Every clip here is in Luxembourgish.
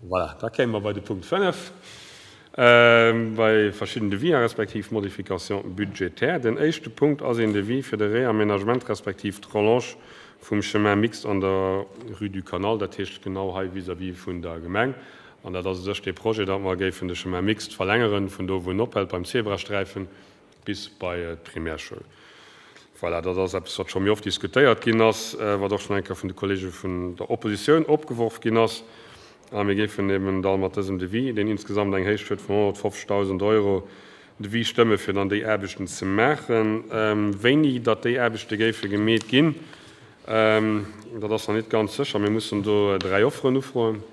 Voilà, da kéime mer bei de Punkt 5, bei verschidden Devis respektiv Modifications budgétaires. Den éischte Punkt ass een Devis fir de Réaménagement respektiv d'Rallonge vum Chemin mixte an der Rue du Canal, dat heescht genau hei vis-à-vis vun der Gemeng. An dat ass u sech dee Projet, datt mer géifen de Chemin mixte verlängeren, vun do wou en ophält beim Zebrasträifen bis bei d'Primärschoul. Voilà, dat ass eppes, wat scho méi oft diskutéiert ginn ass, wat och schonn eng Kéier vun de Kollege vun der Oppositioun opgeworf ginn ass. A mir géifen eben da mat dësem Devis, deen insgesamt eng Héicht huet vun 150.000 Euro, Devis stëmme fir dann déi Aarbechten ze maachen. Wéini datt déi Aarbechte géife gemeet ginn, dat ass nach net ganz sécher. Mir mussen do 3 Offeren ufroen.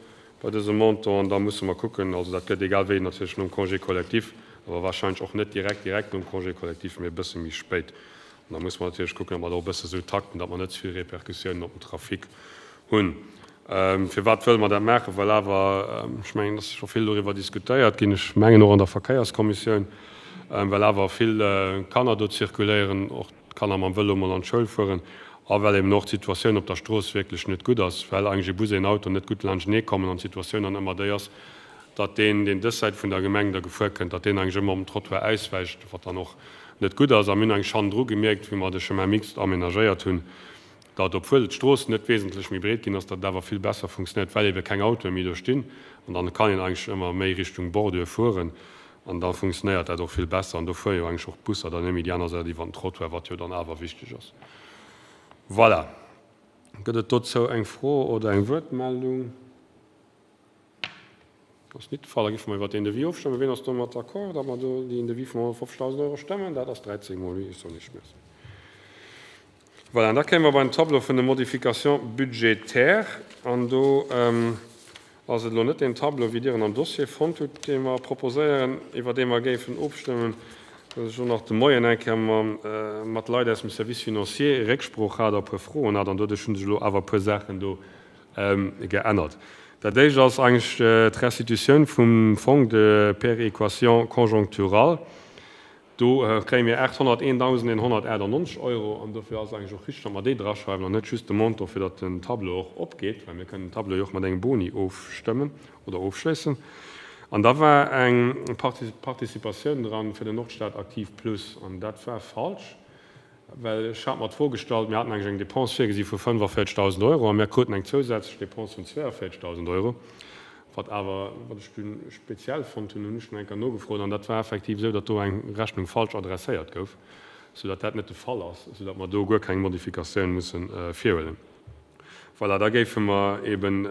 Bei dësem Montant, an da musse mer kucken, also dat gëtt egal wéi natierlech nom Congé collectif, awer wahrscheinlech och net direkt direkt nom Congé collectif, mee e bësse méi spéit. An da musse mer natierlech kucken, datt mer dat och e bësse sou takten, datt mer net ze vill Répercussiounen op den Trafic hunn. Firwat wëlle mer dat maachen? Well awer, ech mengen, et ass scho vill doriwwer diskutéiert ginn, ech mengen och an der Verkéierskommissioun, well awer vill Kanner do zirkuléieren, och d'Kanner mam Vëlo mol an d'Schoul fueren a well eben och d'Situatioun op der Strooss wierklech net gutt ass, well eigentlech e Bus, een Auto net gutt laanschtenee kommen an d'Situatioun dann ëmmer déi ass, datt deen, deen dës Säit vun der Gemeng da gefuer kënnt, datt deen eigentlech ëmmer op den Trottoir auswäicht, wat dann och net gutt ass. A mir hunn eigentlech hannendru gemierkt, wéi mer de Chemin mixte aménagéiert hunn, datt, obwuel d'Strooss net wesentlech méi breet ginn ass, datt et awer vill besser funktionéiert, well ebe keng Autoe méi do stinn an dann kann een eigentlech ëmmer méi Richtung Bordure fueren. An da funktionéiert dat och vill besser. An do fuere jo eigentlech och d'Busser dann net méi déi aner Säit iwwer den Trottoir, wat jo dann awer wichteg ass. Voilà. Gëtt et dozou eng Fro oder eng Wuertmeldung? Ass nit de Fall. Da géife mer iwwer deen Devis ofstëmmen. Wien ass domat d'accord, datt mer do deen Devis vun 150.000 Euro stëmmen? Dat ass 13 mol oui, ech soen Iech Merci. Voilà, an da kéime mer bei den Tableau vun de Modifications budgétaires. An do ass et elo net deen Tableau, wéi Dir en am Dossier fonnt hutt, dee mer proposéieren, iwwer dee mer géifen ofstëmmen. Well ech elo nach de Moien eng Kéier mat Leit aus dem Service financier Récksprooch hat a e puer Froen hat, an doduerch hu sech elo awer e puer Saachen do geännert. Dat éischt ass eigentlech d'Restitutioun vum Fonds de péréquation conjoncturale. Do kréie mir 801.198 Euro an dofir ass et eigentlech och richtig, datt mer déi draschreiwen an net just de Montant, fir datt den Tableau och opgeet, well mir kënnen den Tableau jo och mat engem Boni ofstëmmen oder ofschléissen. An da war eng Participatioun dran fir den Nordstad Aktiv Plus an dat war falsch, well ech hat mer d'Fro gestallt, mir haten eigentlech eng Dépense virgesi vu 45.000 Euro a mir kruten eng zousätzlech Dépense vun 42.000 Euro. Wat awer, wat ech dunn speziell fonnt hunn, hunn ech dunn eng Kéier nogefrot an dat war effektiv esou, datt do eng Rechnung falsch adresséiert gouf, soudatt dat net de Fall ass, soudatt mer do guer keng Modifikatioun musse virhuelen. Voilà, da géife mer eben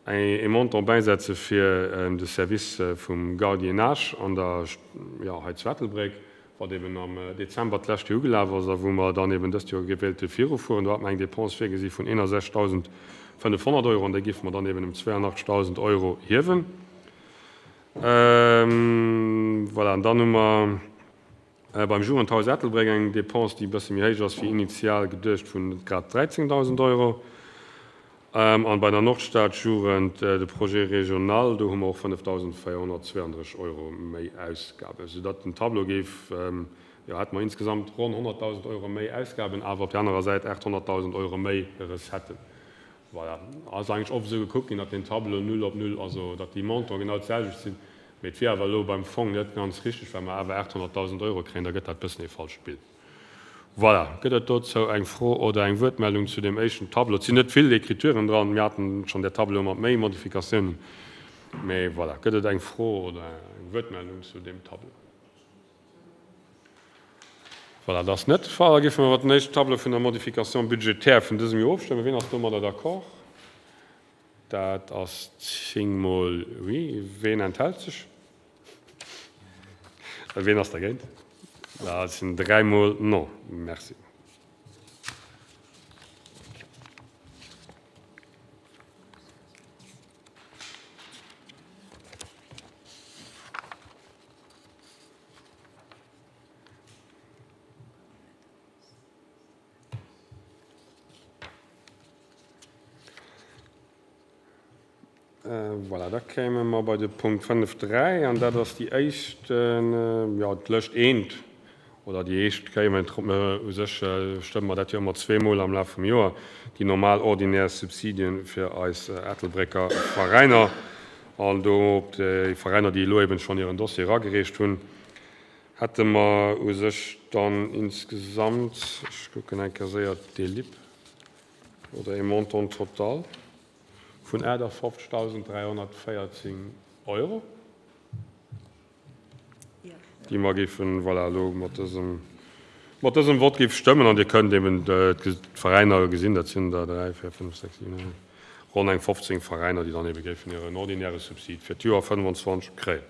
ee Montant bäisetze fir de Service vum Gardiennage an der, jo, hei zu Ettelbréck, wat eben am Dezember d'lescht Joer ugelaf ass a wou mer dann eben dëst Joer wéilte virufueren. Do hat mer eng Dépense virgesi vun 61.500 Euro an déi géife mer dann eben ëm 82.000 Euro hiewen. Voilà, an dann hu mer beim Jugendhaus Ettelbréck eng Dépense, déi e bësse méi héich ass wéi initial geduecht, vun grad 13.000 Euro. An bei der Nordstadjugend, de Projet régional, do hu mer och 5.432 Euro méi Ausgaben, soudatt den Tableau géif, jo, hätte mer insgesamt ronn 100.000 Euro méi Ausgaben, awer op där anerer Säit 800.000 Euro méi Recetten. Voilà. Ass eigentlech oft esou gekuckt ginn, datt deen Tableau null op null, also datt déi Montanten genau d'selwecht sinn, mee et wier awer elo beim Fong net ganz richtig, well mer awer 800.000 Euro kréien, da gëtt dat e bëssen ee falscht Bild. Voilà. Gëtt et dozou eng Fro oder eng Wuertmeldung zu deem éischten Tableau? Et sinn net vill Écrituren dran. Mir haten schonn där Tableaue mat méi Modifikatiounen. Mee voilà. Gëtt et eng Fro oder eng Wuertmeldung zu deem Tableau? Voilà, dat ass net de Fall. Da géife mer iwwer den éischten Tableau vun der Modification budgétaire vun dësem Joer ofstëmmen. Wien ass domadder d'accord? Dat ass zéngmol oui. Wien enthält sech? Wien ass dergéint? Dat sinn dräimol non. Merci. Voilà, da kéime mer bei de Punkt 5.3, an dat ass déi éischt, jo, d'Lëscht eent. Oder déi éischt Kéier, mä u sech stëmme mer dat jo ëmmer zweemol am Laf vum Joer, déi normal ordinär Subsidien fir eis Ettelbrécker Veräiner. An do op déi Veräiner, déi elo eben schonn hiren Dossier eragereecht hunn, hätte mer u sech dann insgesamt, ech kucken eng Kéier séier d'Delib, oder ee Montant total vun 58.314 Euro. Déi mer géifen, voilà, elo mat dësem, mat dësem Vott géif stëmmen. An Dir kënnt eben d'Veräiner gesinn, dat sinn der 3, 4, 5, 6, 7, 8, ronn eng 15 Veräiner, déi dann ebe géifen hiren ordinäre Subsid fir d'Joer 25 kréien.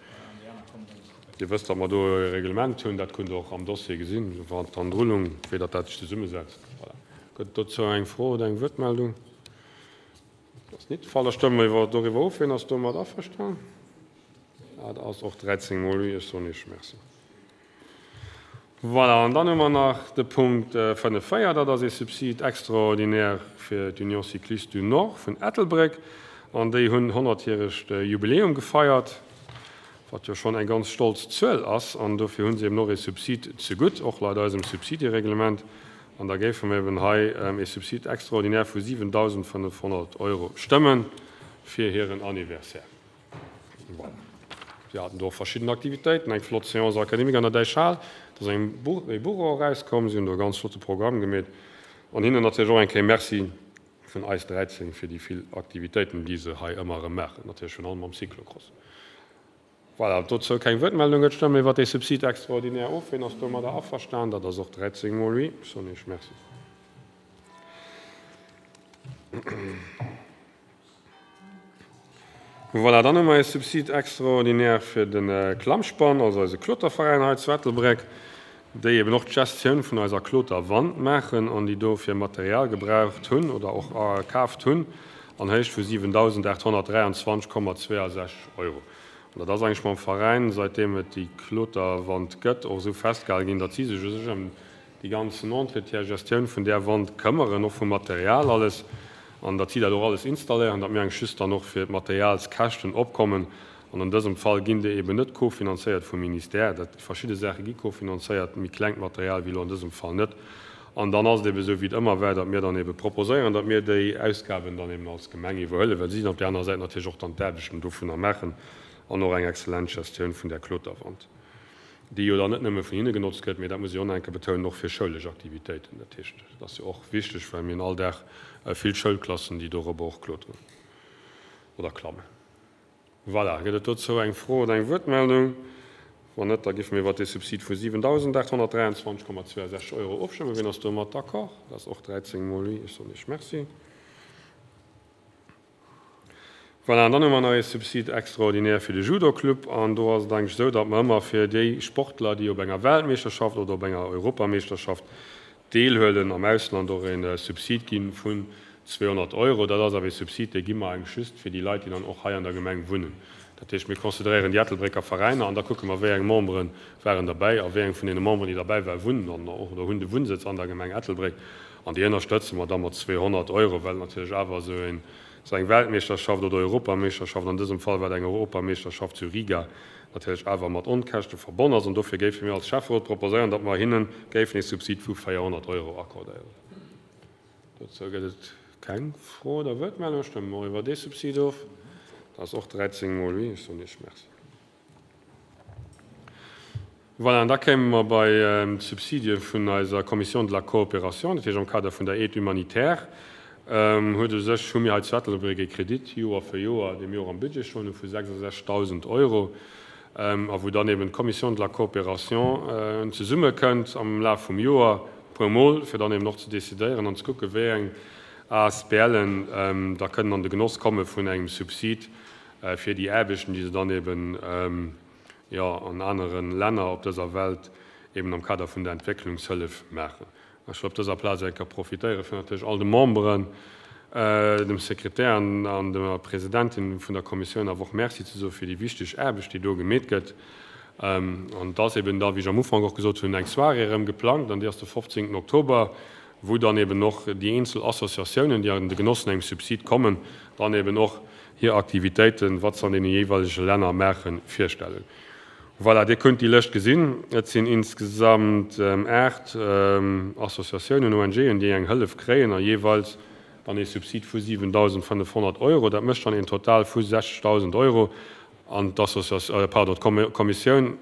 Dir wësst, datt mer do e Reglement hunn, dat kënnt Der och am Dossier gesinn, iwwer d'Andrullung, wéi datt dat sech zesummesetzt. Voilà. Gëtt et dozou eng Fro oder eng Wuertmeldung? Dat ass nit de Fall. Da stëmme mer iwwer doriwwer of. Wien ass domat averstan? Dat ass och 13 mol oui. Ech soen Iech Merci. Voilà, an dann hu mer nach de Punkt 5, 4, dat ass ee Subside extraordinaire fir d'Union Cycliste du Nord vun Ettelbréck. An déi hunn honnertjäregt Jubiläum gefeiert, wat jo schonn eng ganz stolz Zuel ass. An dofir hu se eben och ee Subsid zegutt, och laut eisem Subsidiereglement. An da géife mer eben hei ee Subside extraordinaire vu 7.500 Euro stëmmen fir hiren Anniversaire. Voilà. Si haten do och verschidden Aktivitéiten, eng flott Séance académique an der Däichhal, do ass eng Buch, e Buch och erauskomm, si hunn do e ganz flotte Programm gemeet. An hinnen natierlech och eng Kéier Merci vun eis 13 fir déi vill Aktivitéiten, déi se hei ëmmer erëm maachen, natierlech virun allem am Cyclocross. Voilà, dozou keng Wuertmeldung gëtt. Stëmme iwwert dee Subside extraordinaire of. Wien ass domadder averstan? Dat ass och 13 mol oui. Ech soen Iech Merci. Voilà, dann hu mer ee Subside extraordinaire fir de Klammspann, also eise Kloterveräin hei zu Ettelbréck, déi eben och d'Gestioun vun eiser Kloterwand maachen an déi dofir Material gebraucht hunn oder och kaaft hunn an Héicht vu 7.823,62 Euro. An dat ass eigentlech mam Veräin, säitdeem et déi Kloterwand gëtt, och esou festgehale ginn, datt si sech u sech ëm déi ganzen Entretien, Gestioun vun där Wand këmmeren, och vum Material alles, an datt si dat och alles installéieren, datt mir eigentlech just dann och fir d'Materialskäschten opkommen. An an dësem Fall ginn déi eben net kofinanzéiert vum Ministère. Dat, verschidde Saache gi kofinanzéiert, méi klengt Material wéi elo an dësem Fall net. An dann ass et eben esou, wéi et ëmmer war, datt mir dann eben proposéieren, datt mir déi Ausgaben dann eben als Gemeng iwwerhuelen, well si dann op där anerer Säit natierlech och dann d'Aarbechten dovunner maachen an och eng exzellent Gestioun vun där Kloterwand. déi jo dann net nëmme vun hinne genotzt gëtt, mee dat muss ech och nach eng Kéier betounen, och fir schoulesch Aktivitéiten. Dat heescht, dat ass jo och wichteg, well mir hunn all Dag vill Schoulklassen, déi dorobber och kloteren oder klammen. Voilà, gëtt et dozou eng Fro oder eng Wuertmeldung? Wann net, da géife mir iwwert dee Subsid vu 7.823,62 Euro ofstëmmen. Wien ass domat d'accord? Dat ass och 13 mol oui. Ech soen Iech Merci. Voilà, an dann hu mer nach ee Subside extraordinaire fir de Judo-Club. An do ass et eigentlech esou, datt mer ëmmer fir déi Sportler, déi op enger Weltmeeschterschaft oder op enger Europameeschterschaft deelhuelen am Ausland, och ee Subsid gi vun 200 Euro. Dat ass awer ee Subsid, dee gi mer eigentlech just fir déi Leit, déi dann och hei an der Gemeng wunnen. Dat heescht, mir consideréieren déi Ettelbrécker Veräiner an da kucke mer, wéi eng Membere waren derbäi a wéi eng vun deene Memberen, déi derbäi waren, wunnen dann och oder hunn de Wunnsëtz an der Gemeng Ettelbréck. An déi ënnerstëtze mer da mat 200 Euro, well natierlech awer esou een, esou eng Weltmeeschterschaft oder Europameeschterschaft, an dësem Fall war et eng Europameeschterschaft zu Riga, natierlech awer mat Onkäschte verbonn ass. An dofir géife mir als Schäfferot proposéieren, datt mer hinne géifen ee Subsid vu 400 Euro accordéieren. Dozou gëtt et keng Fro oder Wuertmeldung. Stëmme mer och iwwer dee Subsid of. Dat ass och 13 mol oui. Ech soen Iech Merci. Voilà, an da kéime mer bei d'Subsidie vun eiser Commission de la coopération, dat heescht am Kader vun der Aide humanitaire huet u sech, hu mir hei zu Ettelbréck ee Kredit Joer fir Joer, dee mir och am Budget schonn hu vu 66.000 Euro, a wou dann eben d'Commission de la coopération zesummekënnt am Laf vum Joer e puermol, fir dann eben och ze decidéieren an ze kucken, wéi eng ASBLen da kënnen an de Genoss komme vun engem Subsid fir déi Aarbechten, déi se dann eben, jo, an anere Länner op dëser Welt eben am Kader vun der Entwécklungshëllef maachen. Ech wëll op dëser Plaz eng Kéier profitéieren, fir natierlech all de Memberen, dem Sekretär an der Presidentin vun der Kommissioun awer och Merci ze soe fir déi wichteg Aarbecht, déi do gemeet gëtt. An et ass eben da, wéi ech am Ufank och gesot hunn, eng Soirée erëm geplangt, an déi ass de 15. Oktober, wou dann eben och déi eenzel Associatiounen, déi an de Genoss vun engem Subsid kommen, dann eben och hir Aktivitéiten, wat se an deene jeeweilege Länner maachen, virstellen. Voilà, Dir kënnt déi Lëscht gesinn. Et sinn insgesamt 8 Associatiounen, ONGen, déi eng Hëllef kréien a jeeweils dann ee Subsid vu 7.500 Euro. Dat mécht dann een Total vu 60.000 Euro. An d'Associatioun, pardon, d'Kommissioun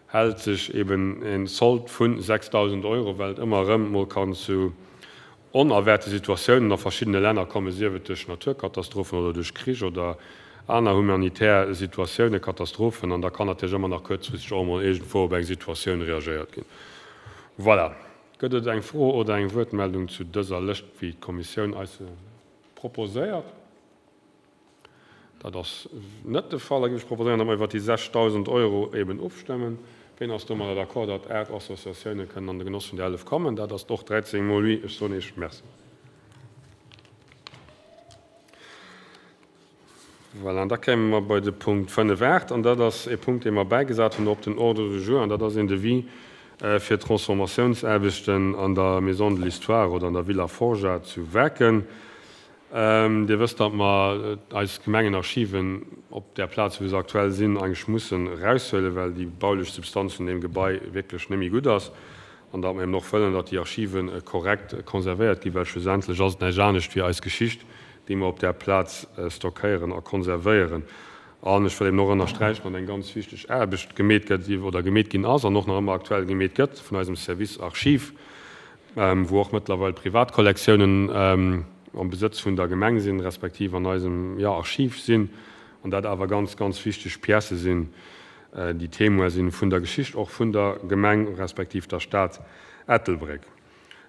hält sech eben e Sold vu 6.000 Euro, well et ëmmer erëm mol kann zu onerwaarte Situatiounen a verschiddene Länner kommen, sief et duerch Naturkatastrophen oder duerch Krich oder aner humanitär Situatiounen, Katastrophen, an da kann natierlech ëmmer nach kuerzfristeg och emol iergendwou op eng Situatioun reagéiert ginn. Voilà. Gëtt et eng Fro oder eng Wuertmeldung zu dëser Lëscht, wéi d'Kommissioun eis se proposéiert? Dat ass net de Fall. Da géif ech proposéieren, datt mer iwwert déi 6.000 Euro eben ofstëmmen. Ween ass domadder d'accord, datt 8 Associatiounen kënnen an de Genoss vun där Hëllef kommen? Dat ass och 13 mol oui. Ech soen Iech Merci. Voilà, an da kéime mer bei de Punkt 5, 8, an dat ass e Punkt, dee mer bäigesat hunn op den Ordre du jour, an dat ass een Devis fir d'Transformatiounsaarbechten an der Maison de l'Histoire oder an der Villa Forgeat zu Waarken. Dir wësst, datt mer eis Gemengenarchiven op där Plaz, wou se aktuell sinn, eigentlech mussen eraushuelen, well déi baulech Substanz vun deem Gebai wierklech net méi gutt ass. An datt mer eben och wëllen, datt déi Archive korrekt konservéiert ginn, well schlussendlech ass et näischt anescht wéi eis Geschicht, déi mer op där Plaz stockéieren a konservéieren. An ech wëll eben och ënnersträichen, datt eng ganz wichteg Aarbecht gemeet gëtt oder gemeet ginn ass an och nach ëmmer aktuell gemeet gëtt vun eisem Service Archiv, wou och mëttlerweil privat Kollektiounen am Besëtz vun der Gemeng sinn, respektiv an eisem, jo, Archiv sinn, an dat awer ganz, ganz wichteg Piècë sinn, déi Témoin sinn vun der Geschicht och vun der Gemeng respektiv der Stad Ettelbréck.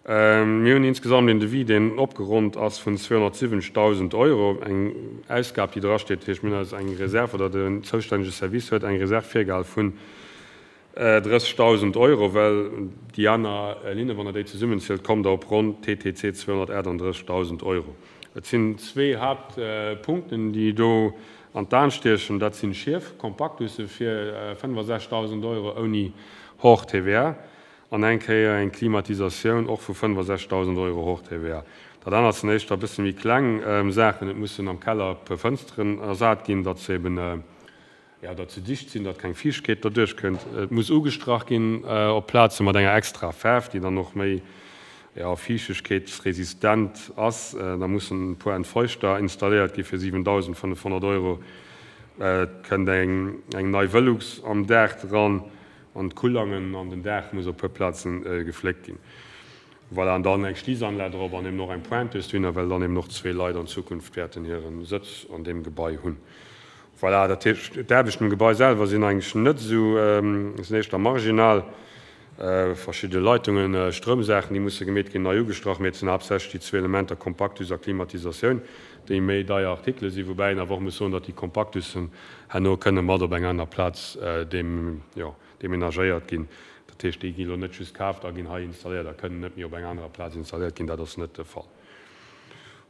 Mir hunn insgesamt een Devis, deen opgeronnt ass vun 270.000 Euro, eng Ausgab, déi drasteet. Dat heescht, mir hunn eis eng Reserv, oder den zoustännege Service huet eng Reserv virgehal vun 30.000 Euro, well déi aner Linne, wann Der déi zesummenzielt, kommt Der op ronn TTC 238.000 Euro. Et sinn zwee Haaptpunkten, déi do an d'Aen stiechen. Dat sinn Schief, Kompaktusse fir 65.000 Euro ouni hors TVA an eng Kéier eng Klimatisatioun och vu 65.000 Euro hors TVA. Dat anert sinn éischter e bësse méi kleng Saachen. Et mussen am Keller e puer Fënsteren ersat ginn, datt se eben, Jo, datt se dicht sinn, datt keng Fiichtkeet derduerch kënnt. Et muss ugestrach ginn op Plaze mat enger extra Faarf, déi dann och méi, jo, fiichtegkeetsresistent ass. Da mussen e puer Entfeuchter installéiert gi fir 7.500 Euro. Et kënnt eng eng nei Velux am Daach dran an d'Kullangen an den Daach muss op e puer Plaze gefléckt ginn. Voilà, an dann eng Schliissanlag drop an eben och eng Pointeuse dohinner, well dann eben och zwee Leit an Zukunft wäerten hire Sëtz an deem Gebai hunn. Voilà, dat heescht, d'Aarbechten um Gebai selwer sinn eigentlech net esou, sinn éischter marginal. Verschidde Leitungen, Stroumsaachen, déi musse gemeet ginn, nei ugestrach, mee et sinn haaptsächlech déi zwee Elementer Kompaktus a Klimatisatioun, déi méi deier Artikele sinn, woubäi een awer och muss soen, datt déi Kompaktussen herno kënne mat op eng aner Plaz jo, demenagéiert ginn. Dat heescht, déi gi lo net just kaaft a ginn hei installéiert a kënnen net méi op eng anerer Plaz installéiert ginn. Dat ass net de Fall.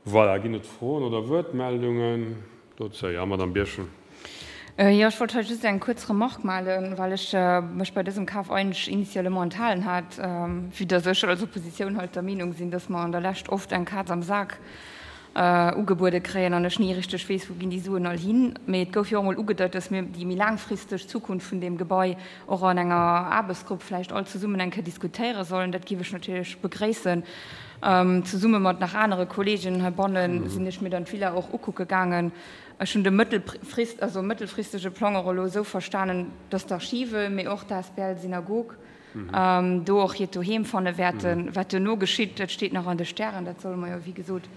Voilà, ginn et Froen oder Wuertmeldungen dozou? Jo, Madamm Birchen. Jo, ech wollt hei just eng kuerz Remarque malen, well ech mech bei dësem Kaf eigentlech initialement enthalen hat, vue dass ech als Oppositioun halt der Meenung sinn, dass mer an der Lescht oft eng Kaz am Sak ugebuede kréien an ech ni richteg weess, wou ginn déi Suen all hin. Mee et gouf jo och emol ugedeit, dass mir déi méi laangfristeg Zukunft vun deem Gebai och an enger Aarbechtsgrupp vläicht all zesummen eng Kéier diskutéiere sollen. Dat géif ech natierlech begréissen. Zesumme mat nach anere Kolleegen heibanne sinn ech mir dann d'Villa och ukucke gaangen. Ech hunn de mëttelfrist, also mëttelfristege Plang och elo esou verstanen, dass d'Archive, mee och d'asbl Synagog do och hiert Doheem fanne wäerten. Wat duerno geschitt, dat steet nach an de Stären. Dat solle mer jo, wéi gesot,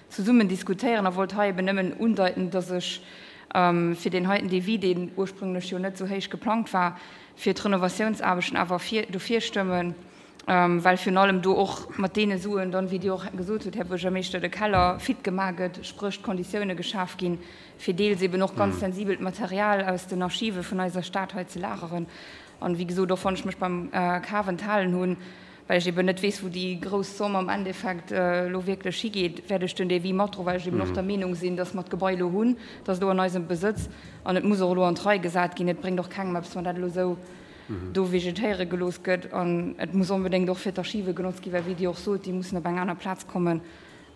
zesummen diskutéieren. A wollt hei eben nëmmen undeiten, dass ech fir deen heiten Devis, deen ursprünglech jo net esou héich geplangt war, fir d'Renovatiounsaarbechten awer dofir stëmmen. well virun allem do och mat deene Suen dann, wéi Dir och gesot hutt, Här Buergermeeschter, de Keller fit gemaach gëtt, spréch d'Konditioune geschaf ginn, fir deels eben och ganz sensibelt Material aus den Archive vun eiser Stad hei ze lageren. An, wéi gesot, och wann ech mech beim Kaf enthalen hunn, well ech eben net weess, wou déi grouss Somm am Endeffekt elo wierklech higeet, wäert ech den Devis matdroen, well ech eben och der Meenung sinn, dass mer d'Gebai elo hunn, et ass elo an eisem Besëtz an et muss och elo an d'Rei gesat ginn. Et bréngt och kengem eppes, wann dat elo esou do vegetéiere gelooss gëtt an et muss onbedéngt och fir d'Archive genotzt ginn, well wéi Dir och sot, déi mussen op eng aner Plaz kommen.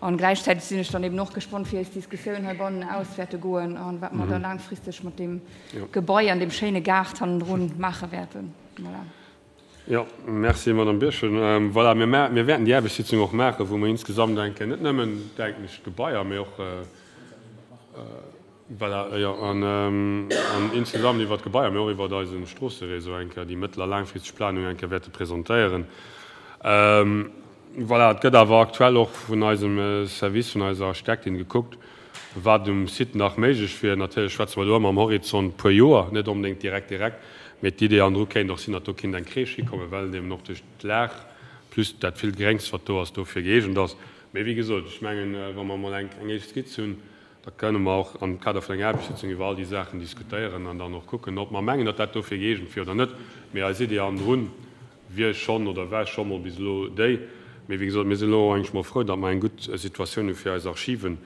An gläichzäiteg sinn ech dann eben och gespannt, wéi eis Diskussioun heibannen aus wäerte goen an wat mer da laangfristeg mat deem Gebai an deem schéine Gaart hannendrun maache wäerten. Voilà. Jo, merci, Madame Birchen. Voilà, mir mir wäerten déi Aarbechtssitzung och maachen, wou mer insgesamt enke net nëmmen, denken ech, d'Gebaier, mee och, voilà, jo, an an insgesamt iwwert d'Gebaier, mee och iwwert eise Stroosseréseau eng Kéier déi mëttel a laangfristeg Planung eng Kéier wäerte presentéieren. Voilà, et gëtt awer aktuell och vun eisem Service, vun eiser Architektin gekuckt, wat um Site nach méiglech wier. Natierlech schwätze mer do ëmmer am Horizont puer Joer, net onbedéngt direkt direkt, mee d'Idee andru kéint och sinn, datt do kinnt eng Crèche hikommen, well et eben och duerch d'Lag plus dat villt Gréngs, wat do ass, dofir gëeegent ass. Mee wéi gesot, ech mengen, wa mer emol eng éischt Skizz hunn, da kënne mer och am Kader vun enger Aarbechtssitzung iwwer all déi Saachen diskutéieren an dann och kucken, ob mer mengen, datt dat dofir gëeegent wier oder net. Mee eis Idee andrun wier schonn oder war scho mol bis elo déi. Mee wéi gesot, mir sinn elo och eigentlech mol frou, datt mer eng gutt Situatioun hu fir eis Archiven.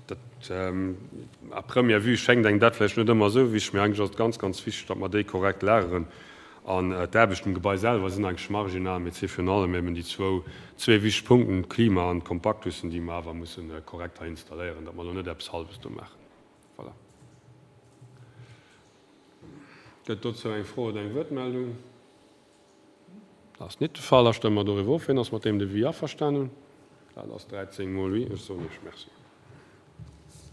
Dat, à première vue schéngt engem dat vläicht net ëmmer esou wichteg, mee eigentlech ass et ganz, ganz wichteg, datt mer déi korrekt lageren. An d'Aarbechten um Gebai selwer sinn eigentlech marginal, mee et si virun allem eben déi zwou, zwee wichteg Punkten, d'Klima an d'Kompaktussen, déi mer awer musse korrekt hei installéieren, datt mer elo net eppes Hallwes do maachen. Voilà. Gëtt dozou eng Fro oder eng Wuertmeldung? Dat ass nit de Fall. Da stëmme mer doriwwer of. Wien ass mat deem Devis averstanen? Dat ass 13 mol oui. Ech soen Iech Merci.